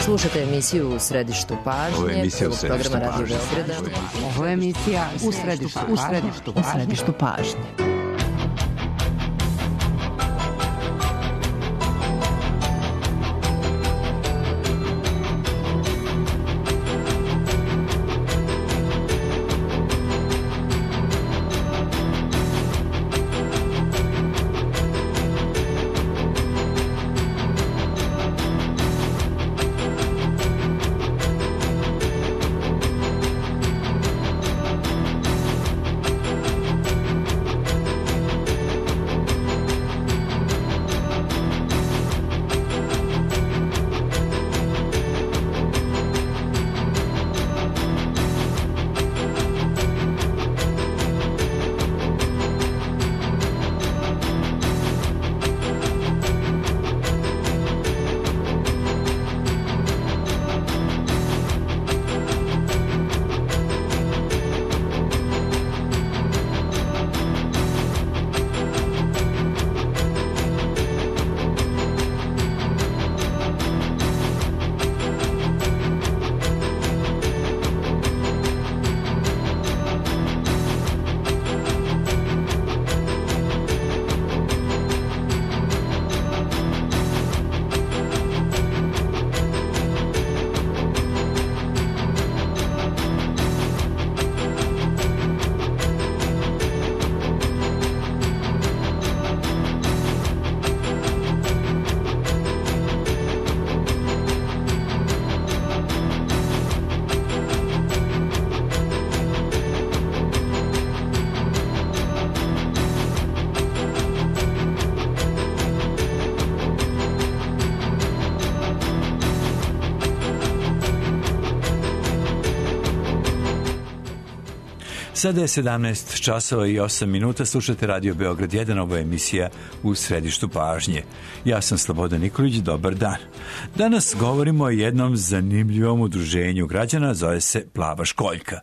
Slušajte emisiju U središtu pažnje. Ovo je emisija U središtu pažnje. Ovo je emisija U središtu pažnje. Sada je 17 časova i 8 minuta, slušate Radio Beograd 1, ovo je emisija U središtu pažnje. Ja sam Slobodan Nikolić, dobar dan. Danas govorimo o jednom zanimljivom udruženju građana, zove se Plava školjka.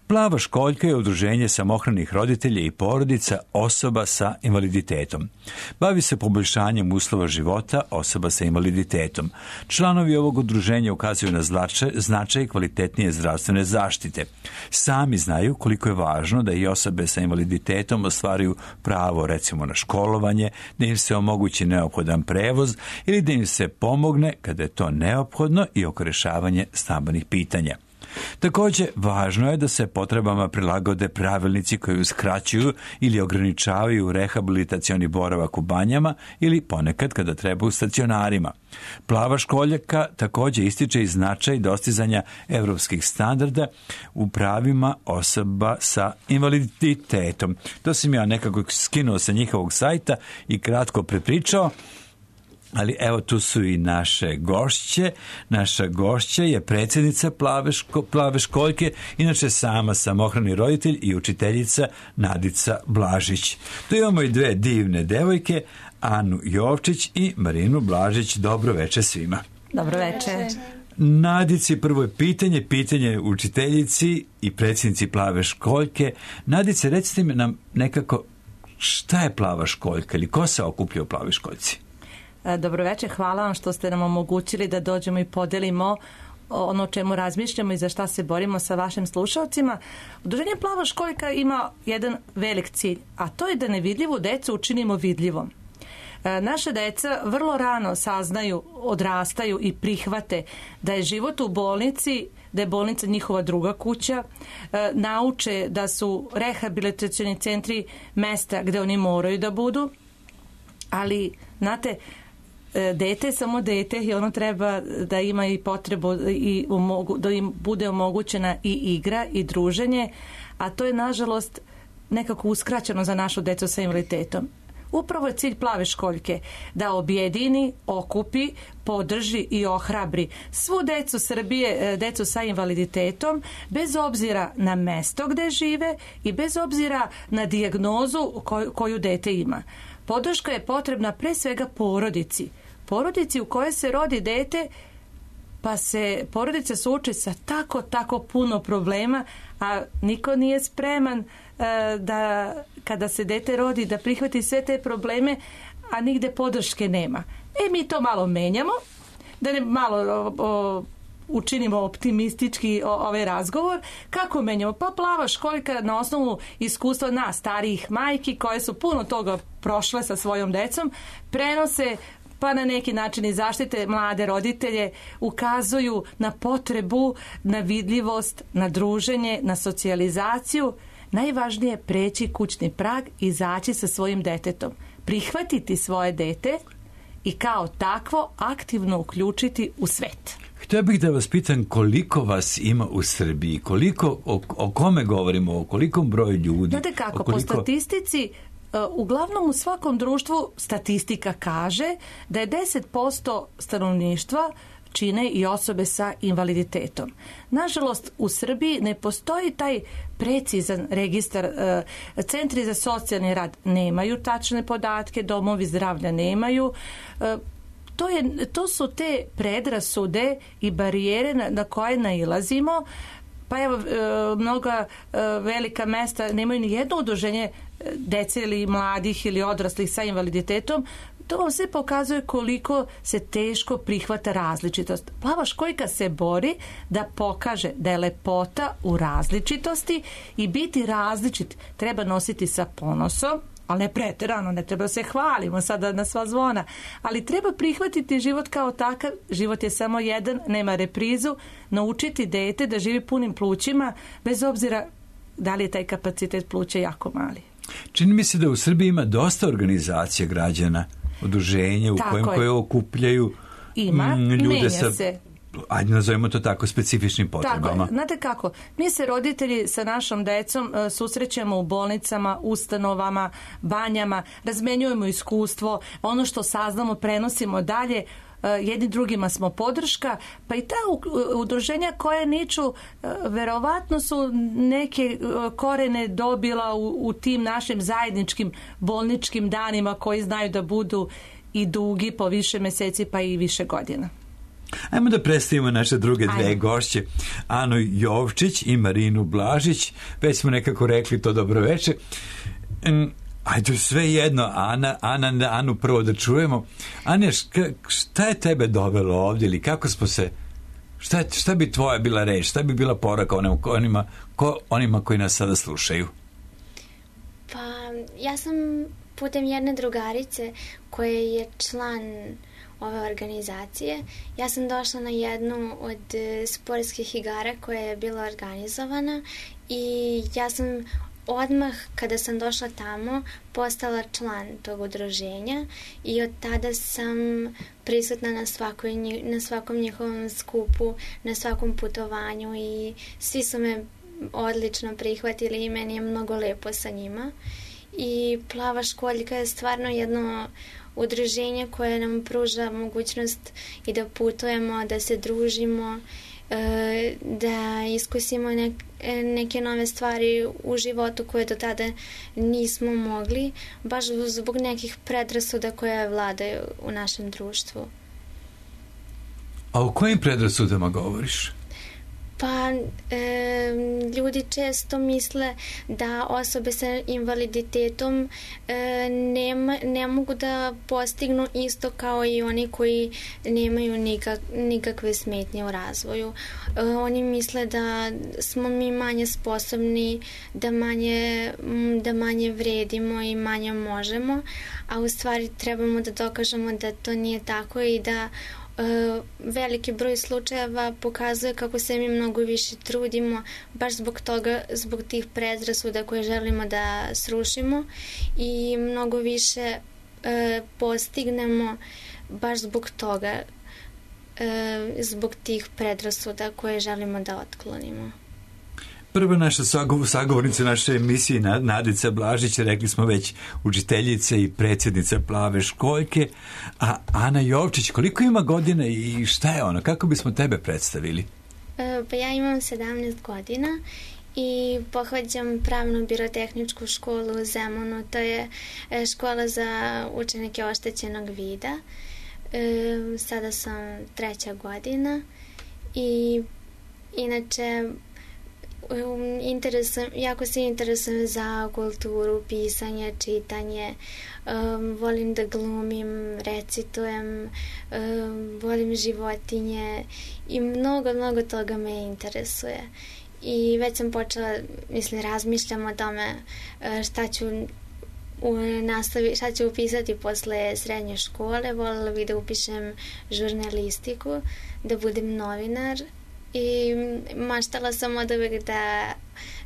Plava školjka je udruženje samohranih roditelja i porodica osoba sa invaliditetom. Bavi se poboljšanjem uslova života osoba sa invaliditetom. Članovi ovog udruženja ukazuju na značaj kvalitetnije zdravstvene zaštite. Sami znaju koliko je važno da i osobe sa invaliditetom ostvaruju pravo recimo na školovanje, da im se omogući neophodan prevoz ili da im se pomogne kada je to neophodno i oko rešavanja stambenih pitanja. Također, važno je da se potrebama prilagode pravilnici koji uskraćuju ili ograničavaju rehabilitacioni boravak u banjama ili ponekad kada treba u stacionarima. Plava školjka također ističe i značaj dostizanja evropskih standarda u pravima osoba sa invaliditetom. To sam ja nekako skinuo sa njihovog sajta i kratko prepričao. Ali evo tu su i naše gošće. Naša gošća je predsjednica Plave školjke, inače sama samohrani roditelj i učiteljica Nadica Blažić. Tu imamo i dve divne devojke, Anu Jovčić i Marinu Blažić. Dobro večer svima. Dobro večer. Nadici, prvo je pitanje učiteljici i predsjednici Plave školjke. Nadice, recite mi nam nekako šta je Plava školjka ili ko se okuplja u Plavoj školjci? Dobro večer, hvala vam što ste nam omogućili da dođemo i podelimo ono o čemu razmišljamo i za šta se borimo sa vašim slušalcima. Udruženje Plava školjka ima jedan velik cilj, a to je da nevidljivu decu učinimo vidljivom. Naša deca vrlo rano saznaju, odrastaju i prihvate da je život u bolnici, da je bolnica njihova druga kuća, nauče da su rehabilitacioni centri mesta gde oni moraju da budu, ali, znate, dete je samo dete i ono treba da ima i potrebu i da im bude omogućena i igra i druženje, a to je nažalost nekako uskraćeno za našu decu sa invaliditetom. Upravo je cilj Plave školjke da objedini, okupi, podrži i ohrabri svu decu Srbije, decu sa invaliditetom, bez obzira na mesto gde žive i bez obzira na dijagnozu koju dete ima. Podrška je potrebna pre svega porodici u kojoj se rodi dete, pa se porodica suoči sa tako puno problema, a niko nije spreman da kada se dete rodi da prihvati sve te probleme, a nigde podrške nema. Mi to malo menjamo da ne malo učinimo optimistički ovaj razgovor. Kako menjamo? Pa plava školjka na osnovu iskustva nas, starijih majki, koje su puno toga prošle sa svojom decom, prenose, pa na neki način i zaštite mlade roditelje, ukazuju na potrebu, na vidljivost, na druženje, na socijalizaciju. Najvažnije je preći kućni prag i izaći sa svojim detetom. Prihvatiti svoje dete i kao takvo aktivno uključiti u svet. Htio bih da vas pitam koliko vas ima u Srbiji, koliko, o kome govorimo, o kolikom broju ljudi? Znate kako, po statistici, uglavnom u svakom društvu statistika kaže da je 10% stanovništva čine i osobe sa invaliditetom. Nažalost, u Srbiji ne postoji taj precizan registar. Centri za socijalni rad nemaju tačne podatke, domovi zdravlja nemaju. To su te predrasude i barijere na koje nailazimo. Pa evo, mnoga velika mesta nemaju ni jedno udruženje dece ili mladih ili odraslih sa invaliditetom. To vam sve pokazuje koliko se teško prihvata različitost. Plava školjka se bori da pokaže da je lepota u različitosti i biti različit treba nositi sa ponosom, ali ne preterano, ne treba se hvalimo sada na sva zvona, ali treba prihvatiti život kao takav. Život je samo jedan, nema reprizu. Naučiti dete da živi punim plućima, bez obzira da li je taj kapacitet pluća jako mali. Čini mi se da u Srbiji ima dosta organizacija građana, udruženja koje okupljaju ljude sa, ajde nazovimo to tako, specifičnim potrebama. Tako, znate kako, mi se roditelji sa našom decom susrećemo u bolnicama, ustanovama, banjama, razmenjujemo iskustvo, ono što saznamo prenosimo dalje, jedni drugima smo podrška, pa i ta udruženja koje niču, verovatno su neke korene dobila u tim našim zajedničkim bolničkim danima koji znaju da budu i dugi po više meseci pa i više godina. Ajmo da predstavimo naše druge dve gošće, Anu Jovčić i Marinu Blažić. Već smo nekako rekli to dobroveče. Ajde, sve jedno, Anu prvo da čujemo. Ane, šta je tebe dovelo ovdje ili kako smo se, šta bi tvoja bila reč, šta bi bila poruka onima koji nas sada slušaju? Pa, ja sam putem jedne drugarice koja je član ove organizacije, ja sam došla na jednu od sportskih igara koja je bila organizovana i ja sam odmah kada sam došla tamo postala član tog udruženja i od tada sam prisutna na svakom njihovom skupu, na svakom putovanju i svi su me odlično prihvatili i meni je mnogo lepo sa njima. I Plava školjka je stvarno jedno udruženje koje nam pruža mogućnost i da putujemo, da se družimo, da iskusimo neke nove stvari u životu koje do tada nismo mogli, baš zbog nekih predrasuda koje vladaju u našem društvu. A o kojim predrasudama govoriš? Pa, ljudi često misle da osobe sa invaliditetom ne mogu da postignu isto kao i oni koji nemaju nikakve smetnje u razvoju. Oni misle da smo mi manje sposobni, da manje vredimo i manje možemo, a u stvari trebamo da dokažemo da to nije tako i da veliki broj slučajeva pokazuje kako se mi mnogo više trudimo baš zbog toga, zbog tih predrasuda koje želimo da srušimo i mnogo više postignemo baš zbog toga, zbog tih predrasuda koje želimo da otklonimo. Prva naša sagovornica naše emisije, Nadica Blažić, rekli smo već, učiteljica i predsjednica Plave školjke, a Ana Jovčić, koliko ima godina i šta je ona? Kako bismo tebe predstavili? Pa ja imam 17 godina i pohađam pravnu birotehničku školu u Zemunu. To je škola za učenike oštećenog vida. Sada sam 3. godina i inače jako se interesujem za kulturu, pisanje, čitanje, volim da glumim, recitujem, volim životinje i mnogo toga me interesuje. I već sam počela, razmišljam o tome šta ću upisati posle srednje škole. Voljela bih da upišem žurnalistiku, da budem novinar i maštala sam od uvek da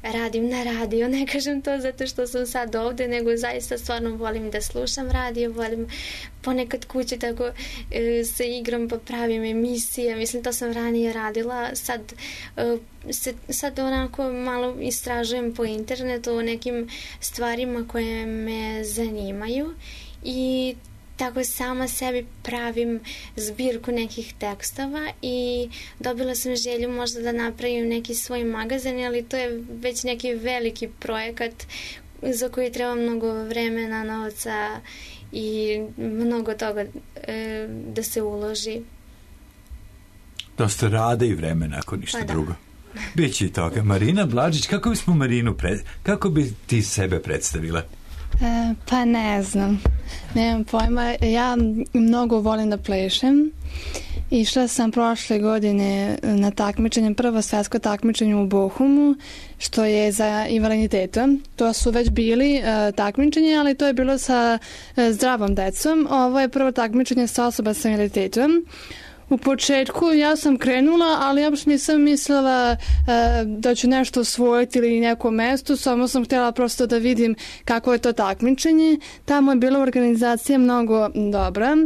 radim na radiju. Ne kažem to zato što sam sad ovde, nego zaista stvarno volim da slušam radio, volim ponekad kući tako sa igram pa pravim emisije. To sam ranije radila, sad onako malo istražujem po internetu o nekim stvarima koje me zanimaju i tako sama sebi pravim zbirku nekih tekstova i dobila sam želju možda da napravim neki svoj magazin, ali to je već neki veliki projekat za koji treba mnogo vremena, novca i mnogo toga da se uloži. Dosta rada i vremena, ako ništa drugo. Biće i toga. Marina Blažić, kako bi ti sebe predstavila? Pa ne znam, nemam pojma. Ja mnogo volim da plešem. Išla sam prošle godine na takmičenje, prvo svetsko takmičenje u Bochumu, što je za invaliditetom. To su već bili takmičenje, ali to je bilo sa zdravom decom. Ovo je prvo takmičenje sa osoba sa invaliditetom. U početku ja sam krenula, ali uopšte nisam mislila da ću nešto osvojiti ili neko mesto, samo sam htjela prosto da vidim kako je to takmičenje. Tamo je bila organizacija mnogo dobra.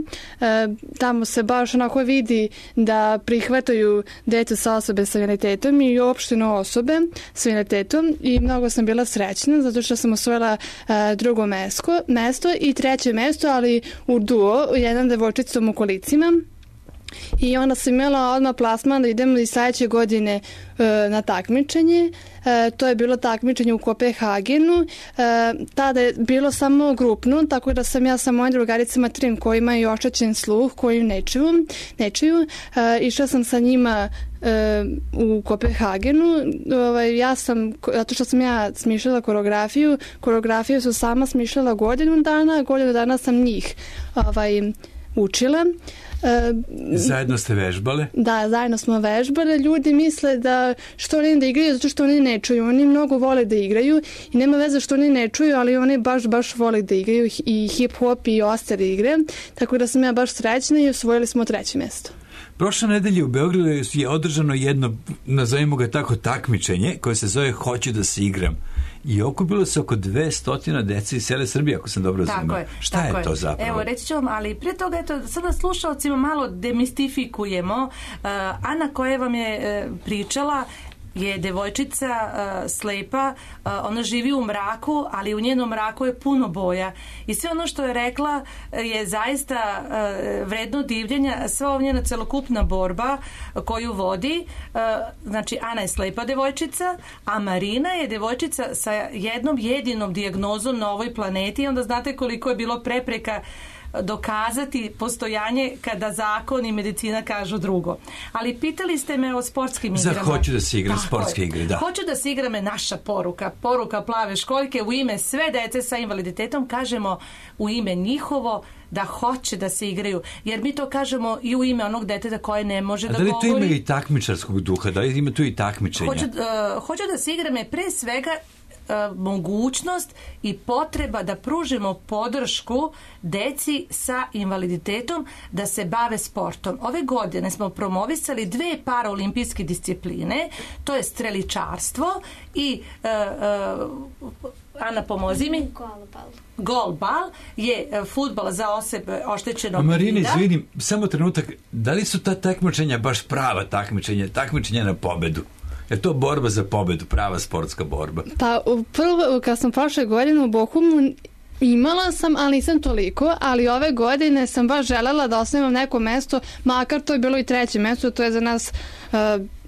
Tamo se baš onako vidi da prihvataju decu sa osobe sa invaliditetom i uopšteno osobe sa invaliditetom i mnogo sam bila srećna zato što sam osvojila drugo mesto i treće mesto, ali u duo, jedan devojčicom u kolicima. I onda sam imala odmah plasman da idem i sledeće godine na takmičenje. To je bilo takmičenje u Kopenhagenu. Tada je bilo samo grupno, tako da sam ja sa mojim drugaricama trim koji imaju oštećen sluh, koji ne čuju. Išla sam sa njima u Kopenhagenu. Zato što sam ja smišljala koreografiju su sama smišljala godinu dana sam njih učila. Zajedno ste vežbale? Da, zajedno smo vežbale. Ljudi misle da što oni da igraju zato što oni ne čuju. Oni mnogo vole da igraju i nema veze što oni ne čuju, ali oni baš vole da igraju i hip-hop i ostale igre. Tako da sam ja baš srećna i osvojili smo treće mesto. Prošle nedelje u Beogradu je održano jedno, nazovimo ga tako, takmičenje koje se zove Hoću da se igram. I okupilo se oko 200 dece iz cele Srbije, ako sam dobro razumio. Šta je to zapravo? Evo, reći ću vam, ali prije toga, sada slušalcima malo demistifikujemo. Ana koja vam je pričala je devojčica slepa, ona živi u mraku, ali u njenom mraku je puno boja. I sve ono što je rekla je zaista vredno divljenja. Sva ova njena celokupna borba koju vodi, znači Ana je slepa devojčica, a Marina je devojčica sa jednom jedinom dijagnozom na ovoj planeti i onda znate koliko je bilo prepreka dokazati postojanje kada zakon i medicina kažu drugo. Ali pitali ste me o sportskim igrama. Za hoću da se igram sportske igre, da. Hoću da se igram je naša poruka Plave školjke u ime sve dece sa invaliditetom, kažemo u ime njihovo da hoće da se igraju, jer mi to kažemo i u ime onog deteta koje ne može da govori. A da li to ima i takmičarskog duha? Da li ima tu i takmičenja? Hoću da se igram je pre svega mogućnost i potreba da pružimo podršku deci sa invaliditetom da se bave sportom. Ove godine smo promovisali 2 paraolimpijske discipline, to je streličarstvo i Ana, pomozi mi. Golbal je fudbal za osobe oštećenog vida. Marina, izvinim, samo trenutak, da li su ta takmičenja baš prava takmičenja na pobedu? Je to borba za pobedu, prava sportska borba? Pa prvo, kad sam prošle godine u Bochumu imala sam, ali nisam toliko, ali ove godine sam baš želela da osnovim neko mesto, makar to je bilo i treće mesto, to je za nas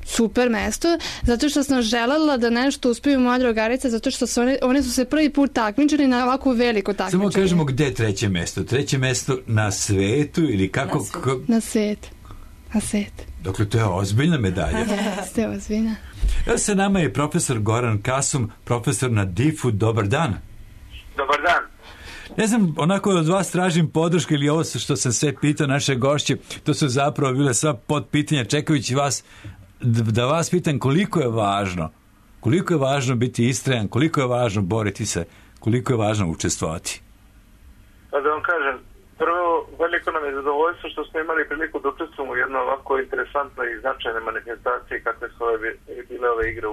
super mesto, zato što sam želela da nešto uspiju moja drugarica, zato što one su se prvi put takmičili na ovako veliko takmičenje. Samo kažemo gde je treće mesto? Treće mesto na svetu ili kako? Na svet. Dakle, to je ozbiljna medalja. Ste ozbiljna. Evo sa nama je profesor Goran Kasum, profesor na DIF-u. Dobar dan. Dobar dan. Ne znam, onako od vas tražim podršku ili ovo što sam sve pitao naše gošće, to su zapravo bile sva podpitanja, čekajući vas, da vas pitam koliko je važno biti istrajan, koliko je važno boriti se, koliko je važno učestvovati. Pa da vam kažem, prvo, veliko nam je zadovoljstvo što smo imali priliku da učestvujemo u jednoj ovako interesantnoj i značajnoj manifestaciji kakve su bile ove igre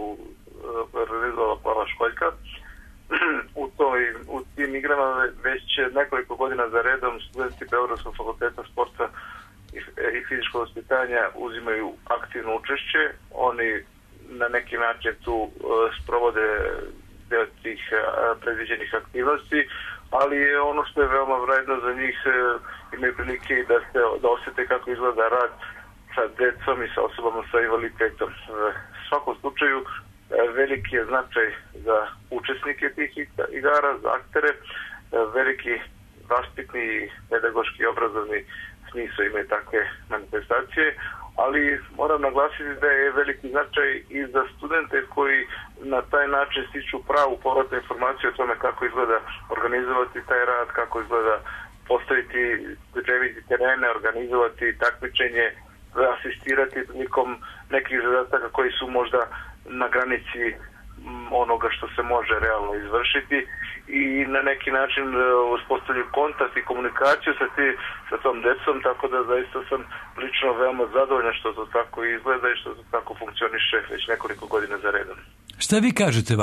organizovala Plava školjka. U tim igrama već nekoliko godina za redom studenti Beogradskog fakulteta sporta i fizičkog vaspitanja uzimaju aktivno učešće. Oni na neki način tu sprovode deo tih predviđenih aktivnosti, ali je ono što je veoma vredno za njih, imaju prilike da osjete kako izgleda rad sa decom i sa osobama sa invaliditetom. U svakom slučaju veliki je značaj za učesnike tih igara, za aktere, veliki vaspitni, pedagoški i obrazovni smisao imaju takve manifestacije, ali moram naglasiti da je veliki značaj i za studente koji na taj način stiču pravu povratnu informaciju o tome kako izgleda organizovati taj rad, kako izgleda postaviti, pripremiti terene, organizovati takmičenje, asistirati prilikom nekih zadataka koji su možda na granici onoga što se može realno izvršiti i na neki način uspostavljaju kontakt i komunikaciju sa tom decom, tako da zaista sam lično veoma zadovoljan što to tako izgleda i što to tako funkcioniše već nekoliko godina za redom. Šta vi kažete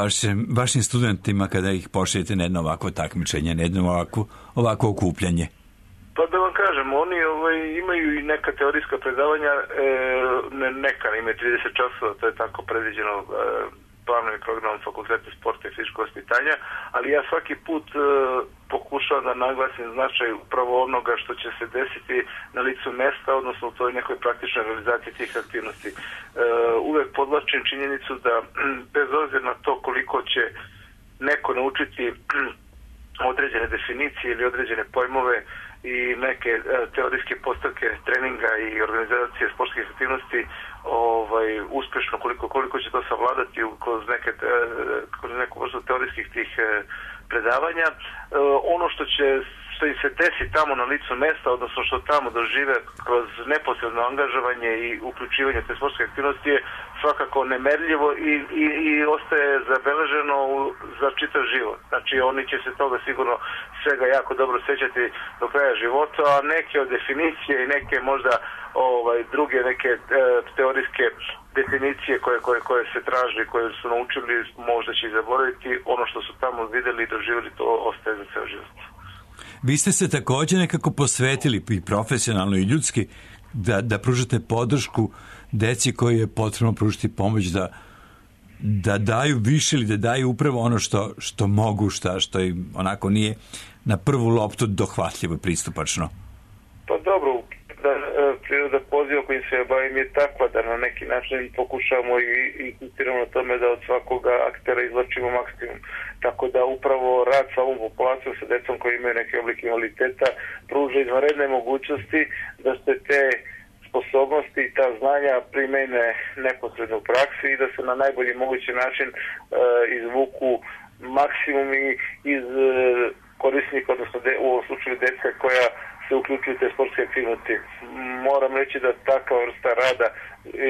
vašim studentima kada ih pošaljete na jedno ovako takmičenje, na jedno ovako okupljanje? Pa da vam kažem, oni imaju i neka teorijska predavanja, neka imaju 30 časova, to je tako predviđeno planom i programom Fakulteta sporta i fizičkog vaspitanja, ali ja svaki put pokušavam da naglasim značaj upravo onoga što će se desiti na licu mesta, odnosno u toj nekoj praktičnoj realizaciji tih aktivnosti. Uvek podvlačim činjenicu da bez obzira na to koliko će neko naučiti određene definicije ili određene pojmove i neke teorijske postavke treninga i organizacije sportskih aktivnosti uspješno, koliko će to savladati kroz neku vrstu teorijskih tih predavanja. Ono što im se desi tamo na licu mesta, odnosno što tamo dožive kroz neposredno angažovanje i uključivanje te sportske aktivnosti je svakako nemerljivo i ostaje zabeleženo za čitav život. Znači oni će se toga sigurno svega jako dobro sjećati do kraja života, a neke od definicije i neke možda druge neke teorijske definicije koje se traži, koje su naučili, možda će ih zaboraviti. Ono što su tamo vidjeli i doživjeli, to ostaje za ceo život. Vi ste se također nekako posvetili i profesionalno i ljudski da pružate podršku deci koji je potrebno pružiti pomoć da daju više ili da daju upravo ono što mogu, što im onako nije na prvu loptu dohvatljivo i pristupačno. Pa dobro, priroda poziva kojim se bavim je takva da na neki način pokušavamo i insistiramo na tome da od svakoga aktera izvlačimo maksimum. Tako da upravo rad sa ovom populacijom, sa decom koji imaju neke oblike invaliditeta, pruža izvanredne mogućnosti da se te sposobnosti i ta znanja primene neposredno u praksi i da se na najbolji mogući način izvuku maksimumi iz korisnika, odnosno u ovom slučaju deca koja se uključuju te sportske aktivnosti. Moram reći da takva vrsta rada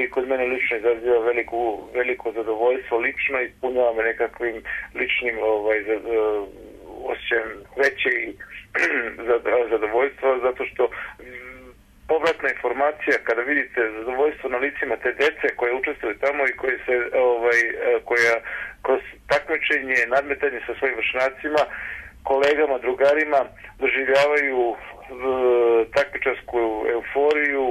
i kod mene lično izaziva veliko zadovoljstvo, lično ispunjava me nekakvim ličnim osjećajem veće i zadovoljstva, zato što povratna informacija kada vidite zadovoljstvo na licima te dece koje učestvuju tamo i koja kroz takmičenje, nadmetanje sa svojim vršnjacima, kolegama, drugarima doživljavaju takmičarsku euforiju,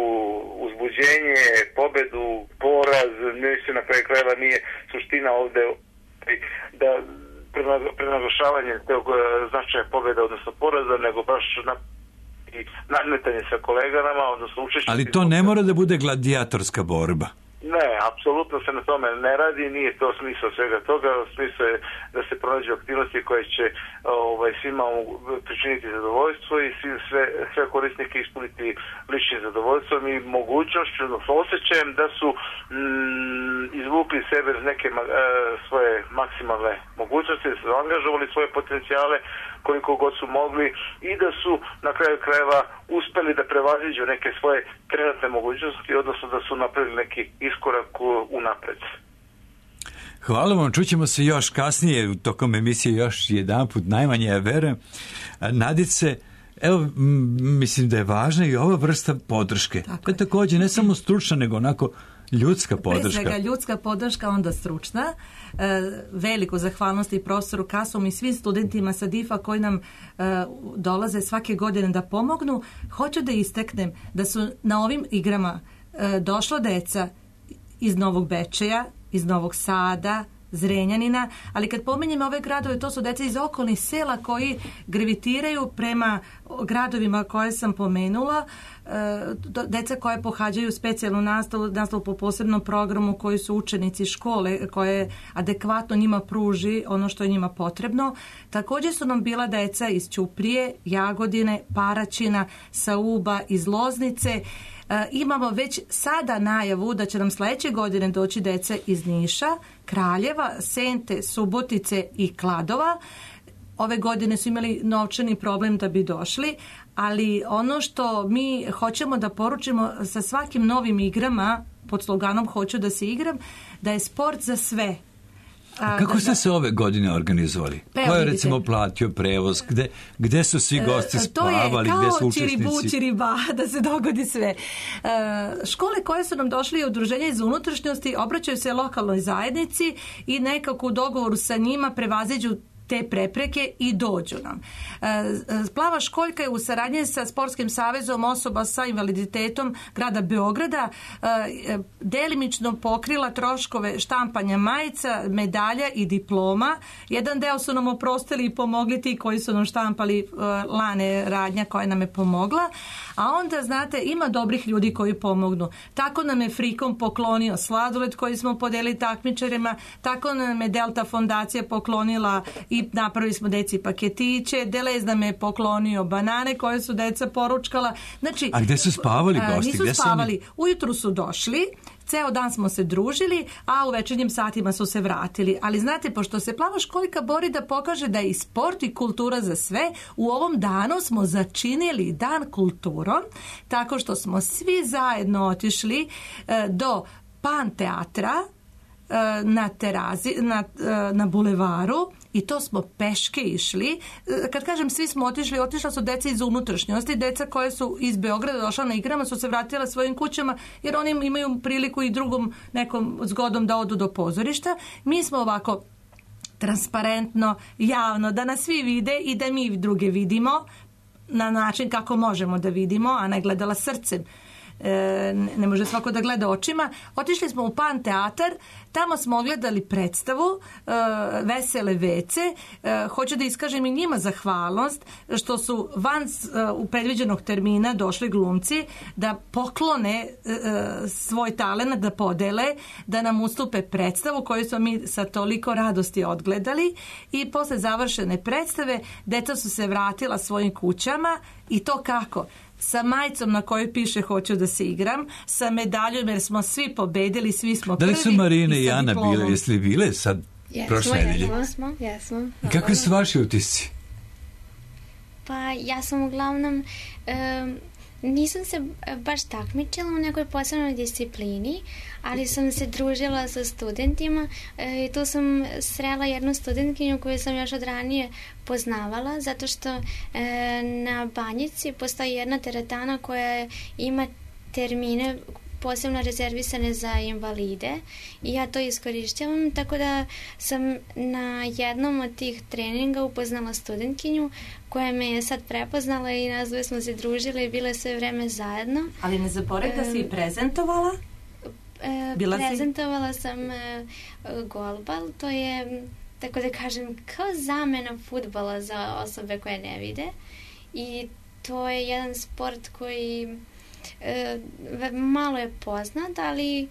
uzbuđenje, pobedu, poraz, mislim na kraju krajeva nije suština ovde da prenaglašavanje tog značaja pobjeda, odnosno poraza, nego baš nadmetanje sa kolegama, odnosno učešće. Ali to ne mora da bude gladijatorska borba. Ne, apsolutno se na tome ne radi, nije to smisao svega toga, smisao je da se pronađu aktivnosti koje će svima pričiniti zadovoljstvo i sve korisnike ispuniti ličnim zadovoljstvom i mogućnošću, osjećajem da su izvukli sebe iz neke svoje maksimalne mogućnosti, da su angažovali svoje potencijale koliko god su mogli i da su na kraju krajeva uspeli da prevaziđu neke svoje trenutne mogućnosti, odnosno da su napravili neki iskorak unapred. Hvala vam, čućemo se još kasnije, tokom emisije još jedanput, najmanje ja verujem. Nadice, evo, mislim da je važna i ova vrsta podrške. To je također ne samo stručna, nego onako ljudska podrška. Pre svega ljudska podrška, onda stručna. Veliku zahvalnost i profesoru Kasom i svim studentima sa DIF-a koji nam dolaze svake godine da pomognu. Hoću da istaknem da su na ovim igrama došla deca iz Novog Bečeja, iz Novog Sada, Zrenjanina, ali kad pominjem ove gradove, to su deca iz okolnih sela koji gravitiraju prema gradovima koje sam pomenula, deca koje pohađaju specijalnu nastavu po posebnom programu, koji su učenici škole koje adekvatno njima pruži ono što je njima potrebno. Također su nam bila deca iz Ćuprije, Jagodine, Paraćina, Sauba, iz Loznice. Imamo već sada najavu da će nam sledeće godine doći dece iz Niša, Kraljeva, Sente, Subotice i Kladova. Ove godine su imali novčani problem da bi došli, ali ono što mi hoćemo da poručimo sa svakim novim igrama, pod sloganom Hoću da se igram, da je sport za sve. A kako ste se ove godine organizovali? Ko je recimo platio prevoz? Gde su svi gosti spavali? Gde su učesnici? To je kao čiriba, da se dogodi sve. Škole koje su nam došli i udruženja iz unutrašnjosti obraćaju se lokalnoj zajednici i nekako u dogovoru sa njima prevaziđu te prepreke i dođu nam. Plava školjka je u saradnji sa Sportskim savezom osoba sa invaliditetom grada Beograda delimično pokrila troškove štampanja majica, medalja i diploma. Jedan deo su nam oprostili i pomogli ti koji su nam štampali, Lane Radnja koja nam je pomogla, a onda, znate, ima dobrih ljudi koji pomognu. Tako nam je Frikom poklonio sladoled koji smo podelili takmičarima, tako nam je Delta fondacija poklonila i napravili smo deci paketiće, Delez nam je poklonio banane koje su deca poručkala. Znači, a gde su spavali gosti? Nisu spavali. Ujutru su došli, ceo dan smo se družili, a u večernjim satima su se vratili. Ali znate, pošto se Plava školjka bori da pokaže da je i sport i kultura za sve, u ovom danu smo začinili dan kulturom, tako što smo svi zajedno otišli do Pan teatra na terazi, na bulevaru, i to smo peške išli. Kad kažem svi smo otišla su deca iz unutrašnjosti, deca koje su iz Beograda došla na igrama su se vratila svojim kućama, jer oni imaju priliku i drugom nekom zgodom da odu do pozorišta. Mi smo ovako transparentno, javno, da nas svi vide i da mi druge vidimo na način kako možemo da vidimo, a ne gledala srcem. Ne može svako da gleda očima. Otišli smo u Pan teatar, tamo smo gledali predstavu Vesele vece. Hoću da iskažem i njima zahvalnost što su van u predviđenog termina došli glumci da poklone svoj talent, da podele, da nam ustupe predstavu koju smo mi sa toliko radosti odgledali, i posle završene predstave deca su se vratila svojim kućama, i to kako? Sa majicom na kojoj piše Hoću da se igram, sa medaljom jer smo svi pobedili, svi smo prvi. Da li su Marina i Ana bile? Jeste li bile sad prošle nedelje? Jesmo. Kakvi su vaši utisci? Pa ja sam uglavnom nisam se baš takmičila u nekoj posebnoj disciplini, ali sam se družila sa studentima i tu sam srela jednu studentkinju koju sam još od ranije poznavala, zato što na Banjici postoji jedna teretana koja ima termine posebno rezervisane za invalide i ja to iskorišćavam, tako da sam na jednom od tih treninga upoznala studentkinju koja me je sad prepoznala i nas dve smo se družile i bile sve vreme zajedno. Ali ne zaboravi da si i prezentovala? Prezentovala sam golbal, to je, tako da kažem, kao zamena fudbala za osobe koje ne vide, i to je jedan sport koji malo je poznat, ali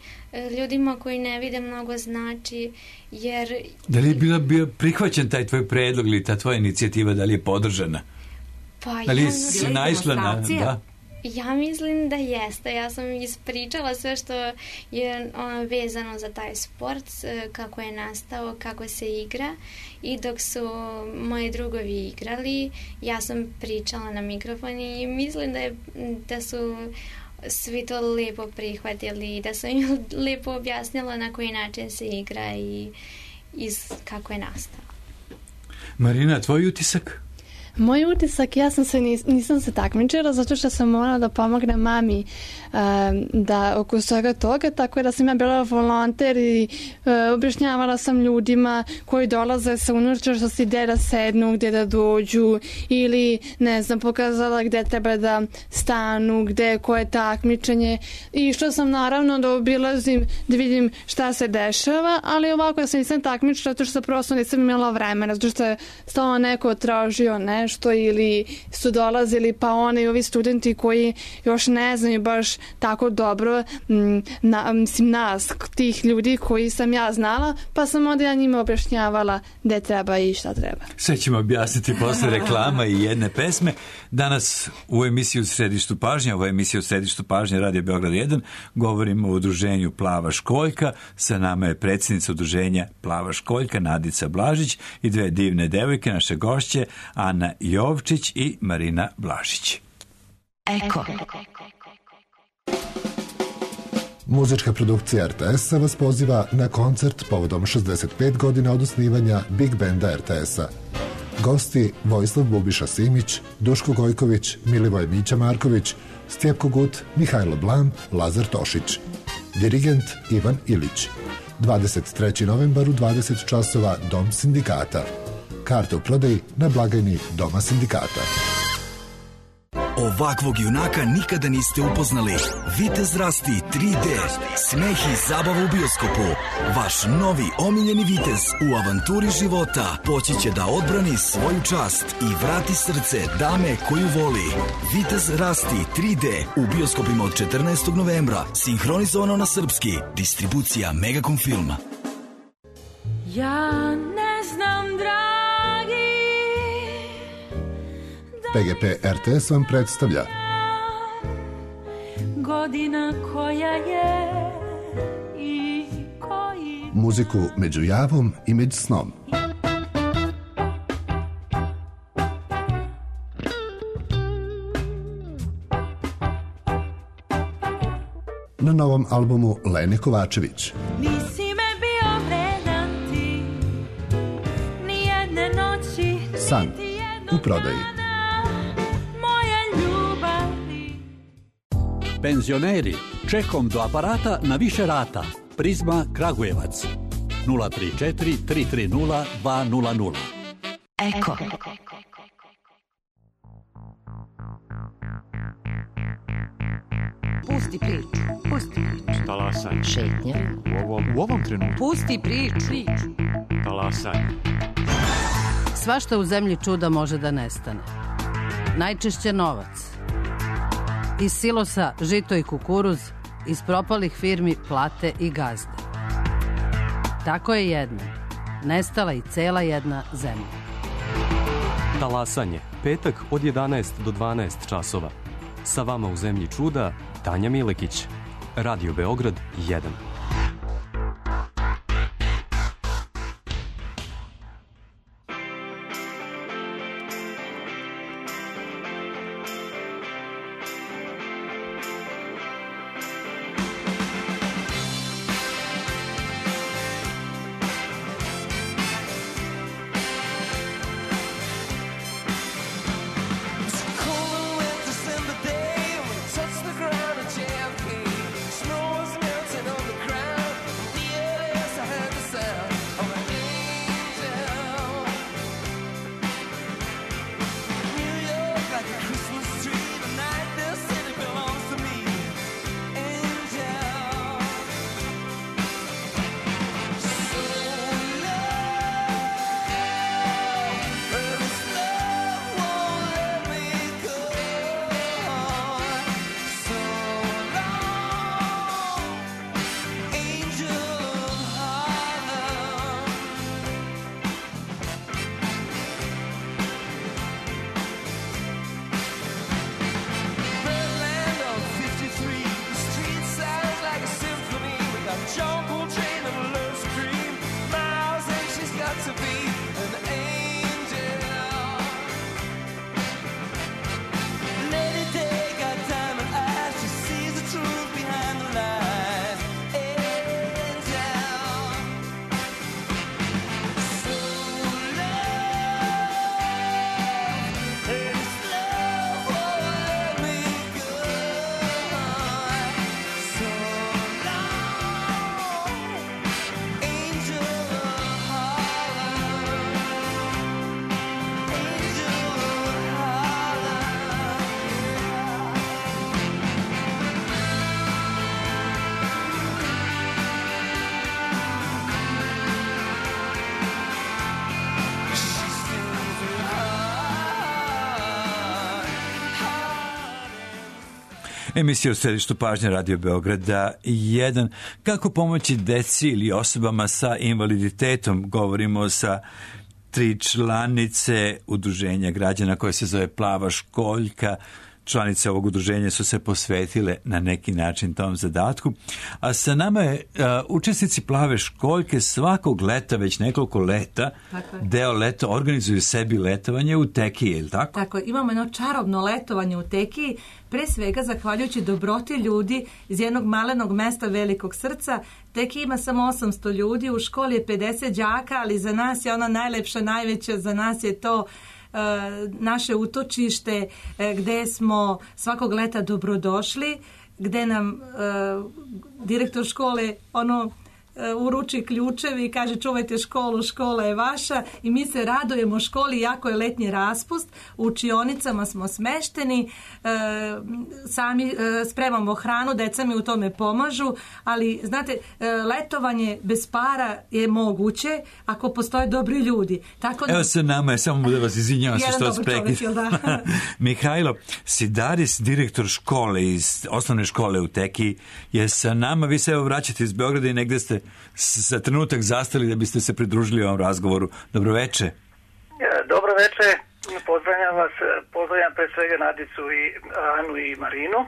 ljudima koji ne vide mnogo znači, jer... Da li je bio prihvaćen taj tvoj predlog ili ta tvoja inicijativa, da li je podržana? Pa ali si naišla na... Da? Ja mislim da jeste. Ja sam ispričala sve što je vezano za taj sport, kako je nastao, kako se igra, i dok su moji drugovi igrali, ja sam pričala na mikrofon i mislim da su svi to lepo prihvatili i da sam im lepo objasnila na koji način se igra i kako je nastao. Marina, tvoj utisak? Moj utisak, ja nisam se takmičila zato što sam morala da pomognem mami da oko svega toga, tako da sam ja bila volonter i objašnjavala sam ljudima koji dolaze sa unutrašnjosti gde da sednu, gde da dođu, ili ne znam, pokazala gde treba da stanu, gde koje takmičenje, i što sam naravno da obilazim da vidim šta se dešava, ali ovako ja sam nisam takmičila zato što prosto nisam imala vremena, zato što je stalno neko tražio nešto ili su dolazili pa oni ovi studenti koji još ne znaju baš tako dobro nas, tih ljudi koji sam ja znala, pa sam onda ja njima objašnjavala gde treba i šta treba. Sve ćemo objasniti posle reklama i jedne pesme. Danas u emisiji U središtu pažnje, ovo je emisija U središtu pažnje Radio Beograd 1, govorimo o udruženju Plava školjka. Sa nama je predsjednica udruženja Plava školjka Nadica Blažić i dve divne devojke, naše gošće Ana Jovčić i Marina Blažić. Eko. Muzička produkcija RTS-a vas poziva na koncert povodom 65 godina od osnivanja Big Banda RTS-a. Gosti Vojislav Bubiša Simić, Duško Gojković, Milivoj Mića Marković, Stjepko Gut, Mihajlo Blam, Lazar Tošić. Dirigent Ivan Ilić. 23. novembar u 20 časova Dom sindikata. Karte u prodaji na blagajni Doma sindikata. Ovakvog junaka nikada niste upoznali. Vitez Rasti 3D. Smeh i zabava u bioskopu. Vaš novi omiljeni vitez u avanturi života poći će da odbrani svoju čast i vrati srce dame koju voli. Vitez Rasti 3D u bioskopima od 14. novembra. Sinhronizovano na srpski. Distribucija Megacom Filma. Ja ne znam, dragi, PGP RTS vam predstavlja godina koja je i koji... muziku među javom i među snom. Na novom albumu Lene Kovačević. Nisi me bio vredan ti, ni jedne noći, San u prodaji. moje ljubavi. Penzioneri, čekom do aparata na više rata. Prizma Kragujevac 034 330 200. Eko. Pusti priču. Pusti priču. Talasaj. Šetnja. U ovom trenutku. Pusti priču. Talasaj. Svašta u zemlji čuda može da nestane. Najčešće novac. Iz silosa žito i kukuruz, iz propalih firmi plate i gazde. Tako je jedno. Nestala i cela jedna zemlja. Talasanje. Petak od 11 do 12 časova. Sa vama u zemlji čuda Tanja Milekić. Radio Beograd 1. December day when we touched the ground at JFK. Snow was melting on the ground. Emisija u središtu pažnje Radio Beograda 1. Kako pomoći deci ili osobama sa invaliditetom? Govorimo sa 3 članice udruženja građana koje se zove Plava školjka. Članice ovog udruženja su se posvetile na neki način tom zadatku. A sa nama je učesnici Plave školjke svakog leta, već nekoliko leta, deo leta organizuju sebi letovanje u Tekiji, je li tako? Tako, imamo jedno čarobno letovanje u Tekiji, pre svega zahvaljujući dobroti ljudi iz jednog malenog mesta Velikog Srca. Tekija ima samo 800 ljudi, u školi je 50 đaka, ali za nas je ona najlepša, najveća, za nas je to naše utočište gde smo svakog leta dobrodošli, gde nam direktor škole uruči ključevi i kaže čuvajte školu, škola je vaša, i mi se radujemo školi, jako je letnji raspust, u učionicama smo smešteni, sami spremamo hranu, deca mi u tome pomažu, ali znate, letovanje bez para je moguće ako postoje dobri ljudi. Tako da... Evo se nama je, samo da vas izvinjavam se što vas prekidam. Mihajlo Sidaris, direktor škole iz osnovne škole u Tekiji, je sa nama. Vi se evo vraćate iz Beograda i negde ste za trenutak zastali da biste se pridružili ovom razgovoru. Dobroveče. Dobroveče, pozdravljam vas, pozdravljam pre svega Nadicu i Anu i Marinu,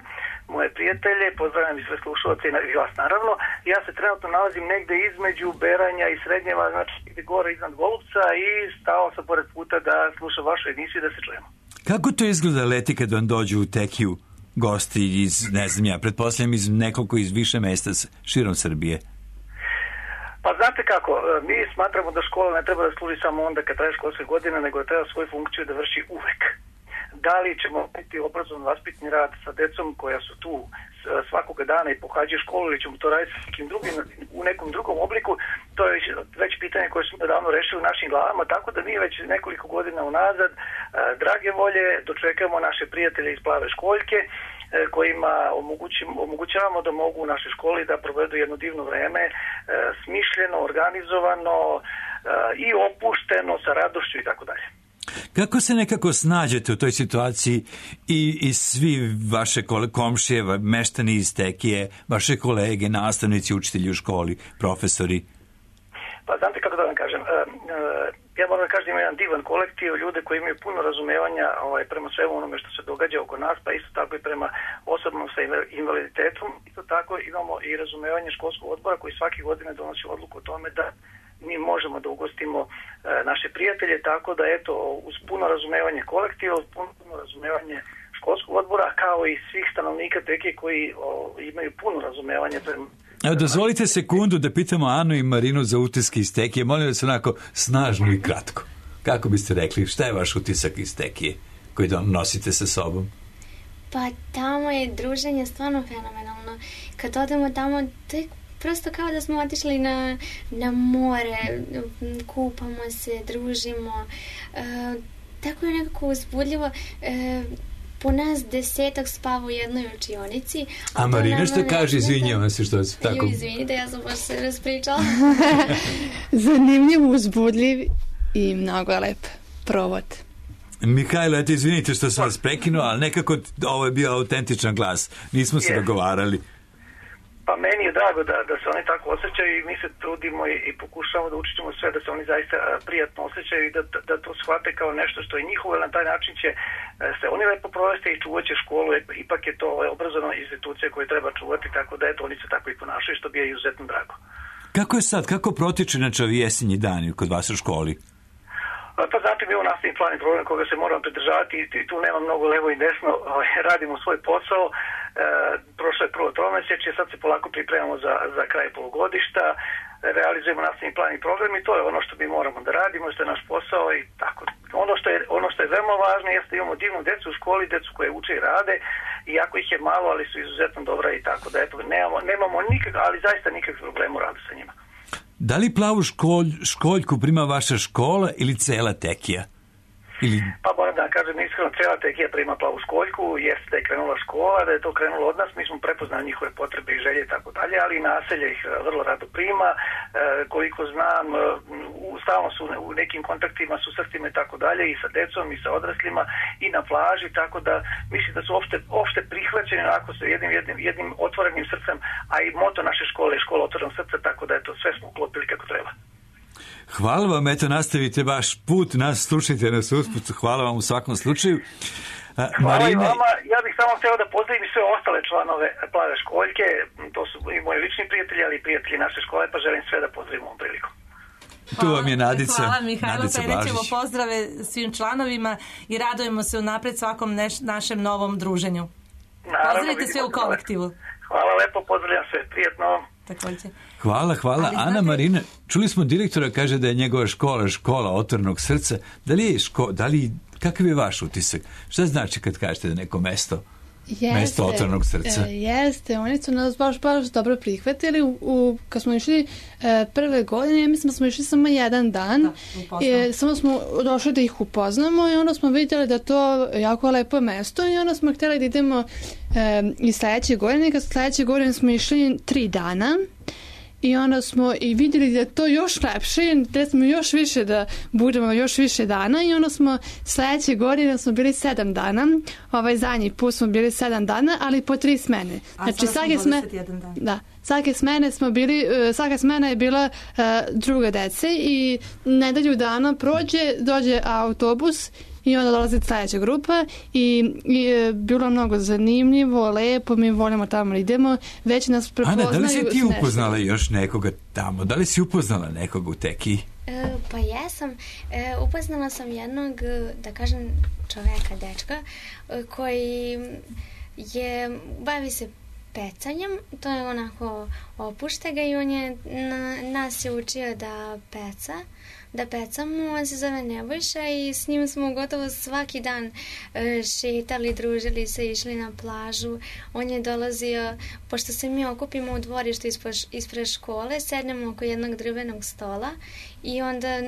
moje prijatelje, pozdravljam i sve slušalce i vas naravno. Ja se trenutno nalazim negde između Beranja i Srednjeva, znači gore iznad Golubca, i stao sam pored puta da slušam vašu emisiju i da se čujemo. Kako to izgleda leti kad vam dođu u Tekiju gosti iz, ne znam ja, pretpostavljam iz nekoliko iz više mesta širom Srbije? Pa znate kako, mi smatramo da škola ne treba da služi samo onda kad traje školske godine, nego da treba svoju funkciju da vrši uvek. Da li ćemo biti obrazovno vaspitni rad sa decom koja su tu svakoga dana i pohađaju školu, ili ćemo to raditi u nekom drugom obliku, to je već pitanje koje smo davno rešili u našim glavama, tako da mi već nekoliko godina unazad drage volje dočekamo naše prijatelje iz Plave školjke, kojima omogućavamo da mogu u našoj školi da provedu jedno divno vreme, smišljeno, organizovano i opušteno, sa radošću i tako dalje. Kako se nekako snađete u toj situaciji i svi vaše komšije, meštani iz Tekije, vaše kolege, nastavnici, učitelji u školi, profesori? Pa znate kako da vam kažem, ja moram da kažem da ima jedan divan kolektiv, ljude koji imaju puno razumevanja prema svemu onome što se događa oko nas, pa isto tako i prema osobnom sa invaliditetom. Isto tako imamo i razumevanje školskog odbora koji svake godine donosi odluku o tome da mi možemo da ugostimo naše prijatelje, tako da eto, uz puno razumevanje kolektiva, uz puno razumevanje školskog odbora, kao i svih stanovnika Tekije koji imaju puno razumevanje prema... Evo, dozvolite sekundu da pitamo Anu i Marinu za utiske iz Tekije. Molim vas onako snažno i kratko. Kako biste rekli, šta je vaš utisak iz Tekije koji nosite sa sobom? Pa tamo je druženje stvarno fenomenalno. Kad odemo tamo, to je prosto kao da smo otišli na more, kupamo se, družimo. Tako je nekako uzbudljivo. Po nas 10 spava u jednoj učionici. A Marina što kaže, izvinjavam se što se tako... Izvinite, ja sam baš se raspričala. Zanimljiv, uzbudljiv i mnogo lep provod. Mihajlo, eto, izvinite što sam vas prekinuo, ali nekako ovo je bio autentičan glas. Nismo se dogovarali. Pa meni je drago da se oni tako osjećaju i mi se trudimo i pokušavamo da učinimo sve da se oni zaista prijatno osjećaju i da to shvate kao nešto što je njihovo, na taj način će se oni lepo provesti i čuvat će školu, ipak je to obrazovna institucija koju treba čuvati, tako da eto, oni se tako i ponašaju, što bi je izuzetno drago. Kako je sad, kako protiče inače ovi jesenji dani kod vas u školi? Pa znate, mi imamo nastavni plan i program koga se moramo pridržavati i tu nema mnogo levo i desno, radimo svoj posao. Prošlo je prvo tromesečje, sad se polako pripremamo za kraj polugodišta, realizujemo nastavni plan i program i to je ono što mi moramo da radimo, što je naš posao i tako. Ono što je veoma važno jeste da imamo divnu decu u školi, decu koje uče i rade, iako ih je malo, ali su izuzetno dobra i tako da eto, nemamo nikak, ali zaista nikakvih problema u radu sa njima. Da li Plavu školjku prima vaša škola ili cela Tekija? Pa moram da kažem iskreno, cela Tekija prima Plavu školjku, jeste da je krenula škola, da je to krenulo od nas, mi smo prepoznali njihove potrebe i želje i tako dalje, ali i naselje ih vrlo rado prima. Koliko znam, stalno su u nekim kontaktima, susretima i tako dalje, i sa decom i sa odraslima i na plaži, tako da mislim da su opšte prihvaćeni onako sa jednim otvorenim srcem, a i moto naše škole je škola otvorenog srca, tako da je to sve smo uklopili kako treba. Hvala vam, eto nastavite vaš put, nas slušajte nas usput, hvala vam u svakom slučaju. Hvala i vama. Ja bih samo htio da pozdravim sve ostale članove Plave školjke, to su i moji lični prijatelji, ali i prijatelji naše škole, pa želim sve da pozdravim ovom prilikom. Tu vam je Nadica. Hvala Mihajlo, prenećemo Blažić. pozdrave svim članovima i radujemo se unapred svakom našem novom druženju. Pozdravite sve u kolektivu. Hvala lepo, pozdravljam sve, prijetno. Takođe. Hvala. Ali Ana Marina, čuli smo direktora, kaže da je njegova škola otvorenog srca. Kakav je vaš utisak? Šta znači kad kažete da neko mesto otvorenog srca? Jeste, oni su nas baš dobro prihvatili. Kad smo išli prve godine, mislim da smo išli samo jedan dan. Samo smo došli da ih upoznamo i onda smo vidjeli da to jako lepo mesto i onda smo htjeli da idemo i sledeće godine. Kad sledeće godine smo išli 3 dana. I onda smo i vidjeli da je to još lepše, da smo još više da budemo još više dana i onda smo sledeće godine smo bili 7 dana, zadnji put smo bili 7 dana, ali po 3 smene. Znači svaka smena je bila druga dece i nedelju dana dođe autobus i onda dolazi sledeća grupa i bilo mnogo zanimljivo, lepo, mi volimo tamo idemo, već nas prepoznaju. Ana, da li si ti upoznala još nekoga tamo? Da li si upoznala nekoga u Tekiji? Pa jesam. Upoznala sam jednog, da kažem, čoveka, dečka, koji bavi se pecanjem, to je onako opušte ga i on je nas je učio da pecamo, on se zove Nebojša i s njim smo gotovo svaki dan šetali, družili se, išli na plažu. On je dolazio, pošto se mi okupimo u dvorištu ispred škole, sednemo oko jednog drvenog stola i onda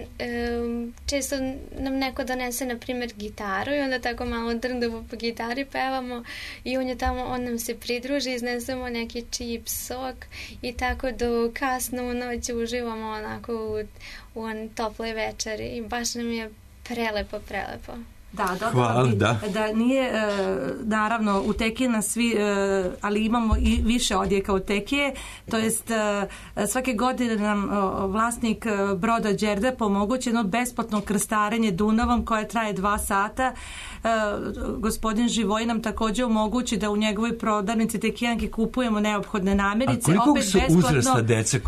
često nam neko donese, na primjer, gitaru i onda tako malo drndamo po gitari, pevamo i on je tamo, on nam se pridruži, iznesemo neki čip, sok i tako do kasno u noć uživamo onako u toploj večeri i baš nam je prelepo. Da, dobro, da nije, naravno, u Tekije nas svi, ali imamo i više odjeka u Tekije, to jest svake godine nam vlasnik broda Đerdap omogući jedno besplatno krstarenje Dunavom koje traje 2 sata. Gospodin Živoj nam također omogući da u njegovoj prodavnici Tekijanke kupujemo neophodne namirnice. A koliko su uzrasta dece